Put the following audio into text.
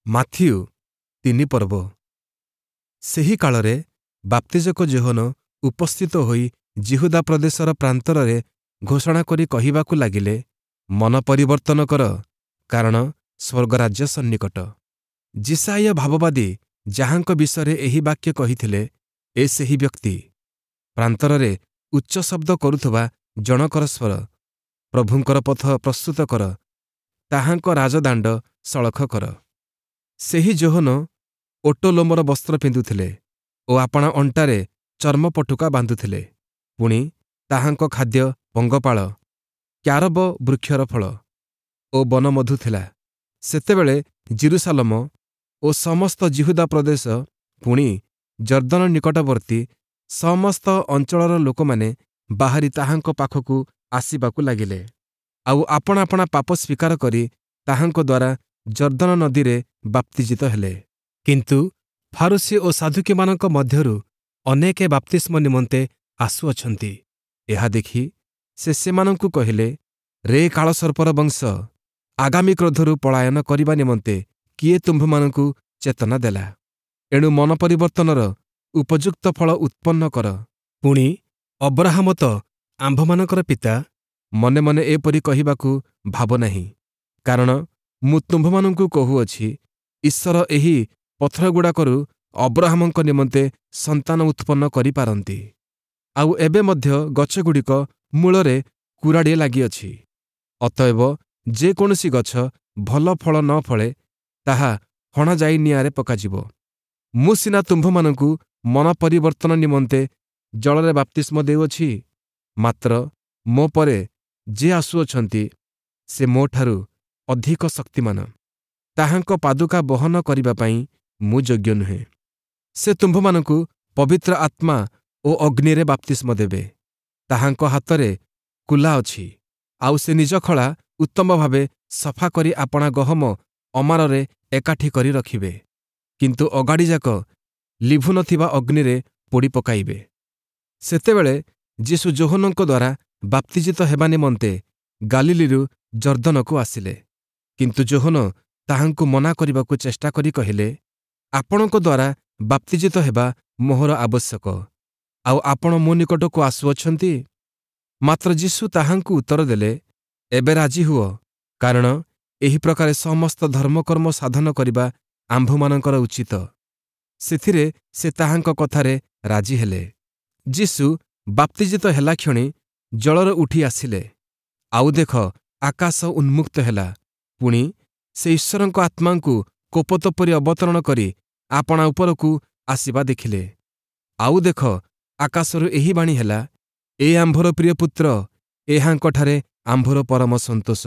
Matthew 3 ପର୍ବ। ସେହି କାଳରେ ବାପ୍ତିଜକ ଯୋହନ ଉପସ୍ଥିତ ହୋଇ ଯିହୁଦା ପ୍ରଦେଶର ପ୍ରାନ୍ତରରେ ଘୋଷଣା କରି କହିବାକୁ ଲାଗିଲେ, ମନ ପରିବର୍ତ୍ତନ କର, କାରଣ ସ୍ୱର୍ଗରାଜ୍ୟ ସନ୍ନିକଟ। ଯିଶାଇୟ ଭାବବାଦୀ ଯାହାଙ୍କ ବିଷୟରେ ଏହି ବାକ୍ୟ କହିଥିଲେ, ଏ ସେହି ବ୍ୟକ୍ତି। ପ୍ରାନ୍ତରରେ ଉଚ୍ଚ ଶବ୍ଦ କରୁଥିବା ଜଣକର ସ୍ୱର, ପ୍ରଭୁଙ୍କର ପଥ ପ୍ରସ୍ତୁତ କର, ତାହାଙ୍କ ରାଜଦାଣ୍ଡ ସଳଖ କର। ସେହି ଯୋହନ ଓଟ ଲୋମର ବସ୍ତ୍ର ପିନ୍ଧୁଥିଲେ ଓ ଆପଣା ଅଣ୍ଟାରେ ଚର୍ମ ପଟୁକା ବାନ୍ଧୁଥିଲେ। ପୁଣି ତାହାଙ୍କ ଖାଦ୍ୟ ପଙ୍ଗପାଳ, କ୍ୟାରବ ବୃକ୍ଷର ଫଳ ଓ ବନମଧୁ ଥିଲା। ସେତେବେଳେ ଯିରୂଶାଲମ ଓ ସମସ୍ତ ଯିହୁଦା ପ୍ରଦେଶ, ପୁଣି ଯର୍ଦ୍ଦନ ନିକଟବର୍ତ୍ତୀ ସମସ୍ତ ଅଞ୍ଚଳର ଲୋକମାନେ ବାହାରି ତାହାଙ୍କ ପାଖକୁ ଆସିବାକୁ ଲାଗିଲେ, ଆଉ ଆପଣା ଆପଣା ପାପ ସ୍ୱୀକାର କରି ତାହାଙ୍କ ଦ୍ୱାରା ଯର୍ଦ୍ଦନ ନଦୀରେ ବାପ୍ତିଜିତ ହେଲେ। କିନ୍ତୁ ଫାରୂଶୀ ଓ ସାଦ୍ଦୂକୀମାନଙ୍କ ମଧ୍ୟରୁ ଅନେକେ ବାପ୍ତିସ୍ମ ନିମନ୍ତେ ଆସୁଅଛନ୍ତି। ଏହା ଦେଖି ସେ ସେମାନଙ୍କୁ କହିଲେ, ରେ କାଳସର୍ପର ବଂଶ, ଆଗାମୀ କ୍ରୋଧରୁ ପଳାୟନ କରିବା ନିମନ୍ତେ କିଏ ତୁମ୍ଭମାନଙ୍କୁ ଚେତନା ଦେଲା? ଏଣୁ ମନ ପରିବର୍ତ୍ତନର ଉପଯୁକ୍ତ ଫଳ ଉତ୍ପନ୍ନ କର। ପୁଣି ଅବ୍ରାହମ ତ ଆମ୍ଭମାନଙ୍କର ପିତା, ମନେ ମନେ ଏପରି କହିବାକୁ ଭାବ ନାହିଁ, କାରଣ ମୁଁ ତୁମ୍ଭମାନଙ୍କୁ କହୁଅଛି, ଈଶ୍ୱର ଏହି ପଥରଗୁଡ଼ାକରୁ ଅବ୍ରାହମଙ୍କ ନିମନ୍ତେ ସନ୍ତାନ ଉତ୍ପନ୍ନ କରିପାରନ୍ତି। ଆଉ ଏବେ ମଧ୍ୟ ଗଛଗୁଡ଼ିକ ମୂଳରେ କୁରାଢ଼ି ଲାଗିଅଛି। ଅତଏବ ଯେକୌଣସି ଗଛ ଭଲ ଫଳ ନ ଫଳେ, ତାହା ହଣାଯାଇ ନିଆଁରେ ପକାଯିବ। ମୁଁ ସିନା ତୁମ୍ଭମାନଙ୍କୁ ମନ ପରିବର୍ତ୍ତନ ନିମନ୍ତେ ଜଳରେ ବାପ୍ତିସ୍ମ ଦେଉଅଛି, ମାତ୍ର ମୋ ପରେ ଯେ ଆସୁଅଛନ୍ତି, ସେ ମୋଠାରୁ ଅଧିକ ଶକ୍ତିମାନ। ତାହାଙ୍କ ପାଦୁକା ବହନ କରିବା ପାଇଁ ମୁଁ ଯୋଗ୍ୟ ନୁହେଁ। ସେ ତୁମ୍ଭମାନଙ୍କୁ ପବିତ୍ର ଆତ୍ମା ଓ ଅଗ୍ନିରେ ବାପ୍ତିସ୍ମ ଦେବେ। ତାହାଙ୍କ ହାତରେ କୁଲା ଅଛି, ଆଉ ସେ ନିଜ ଖଳା ଉତ୍ତମ ଭାବେ ସଫା କରି ଆପଣା ଗହମ ଅମାରରେ ଏକାଠି କରି ରଖିବେ, କିନ୍ତୁ ଅଗାଡ଼ିଯାକ ଲିଭୁ ନଥିବା ଅଗ୍ନିରେ ପୋଡ଼ି ପକାଇବେ। ସେତେବେଳେ ଯୀଶୁ ଯୋହନଙ୍କ ଦ୍ୱାରା ବାପ୍ତିଜିତ ହେବା ନିମନ୍ତେ ଗାଲିଲୀରୁ ଯର୍ଦ୍ଦନକୁ ଆସିଲେ। କିନ୍ତୁ ଯୋହନ ତାହାଙ୍କୁ ମନା କରିବାକୁ ଚେଷ୍ଟା କରି କହିଲେ, ଆପଣଙ୍କ ଦ୍ୱାରା ବାପ୍ତିଜିତ ହେବା ମୋହର ଆବଶ୍ୟକ, ଆଉ ଆପଣ ମୋ ନିକଟକୁ ଆସୁଅଛନ୍ତି? ମାତ୍ର ଯୀଶୁ ତାହାଙ୍କୁ ଉତ୍ତର ଦେଲେ, ଏବେ ରାଜି ହୁଅ, କାରଣ ଏହି ପ୍ରକାରେ ସମସ୍ତ ଧର୍ମକର୍ମ ସାଧନ କରିବା ଆମ୍ଭମାନଙ୍କର ଉଚିତ। ସେଥିରେ ସେ ତାହାଙ୍କ କଥାରେ ରାଜି ହେଲେ। ଯୀଶୁ ବାପ୍ତିଜିତ ହେଲାକ୍ଷଣି ଜଳରୁ ଉଠି ଆସିଲେ, ଆଉ ଦେଖ, ଆକାଶ ଉନ୍ମୁକ୍ତ ହେଲା। ପୁଣି ସେ ଈଶ୍ୱରଙ୍କ ଆତ୍ମାଙ୍କୁ କୋପତ ପରି ଅବତରଣ କରି ଆପଣା ଉପରକୁ ଆସିବା ଦେଖିଲେ। ଆଉ ଦେଖ, ଆକାଶରୁ ଏହି ବାଣୀ ହେଲା, ଏ ଆମ୍ଭର ପ୍ରିୟ ପୁତ୍ର, ଏହାଙ୍କଠାରେ ଆମ୍ଭର ପରମ ସନ୍ତୋଷ।